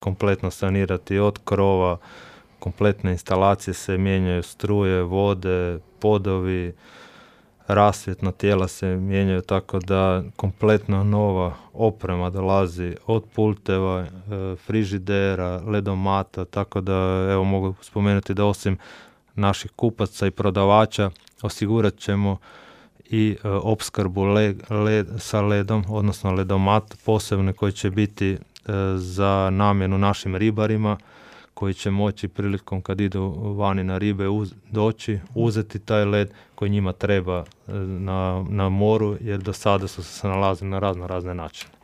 kompletno sanirati od krova, kompletne instalacije se mijenjaju, struje, vode, podovi, rasvjetna tijela se mijenjaju, tako da kompletno nova oprema dolazi od pulteva, frižidera, ledomata, tako da evo mogu spomenuti da osim naših kupaca i prodavača osigurat ćemo i opskrbu sa ledom, odnosno ledomat posebno koji će biti za namjenu našim ribarima, koji će moći prilikom kad idu vani na ribe doći, uzeti taj led koji njima treba na moru, jer do sada su se nalazili na razne načine.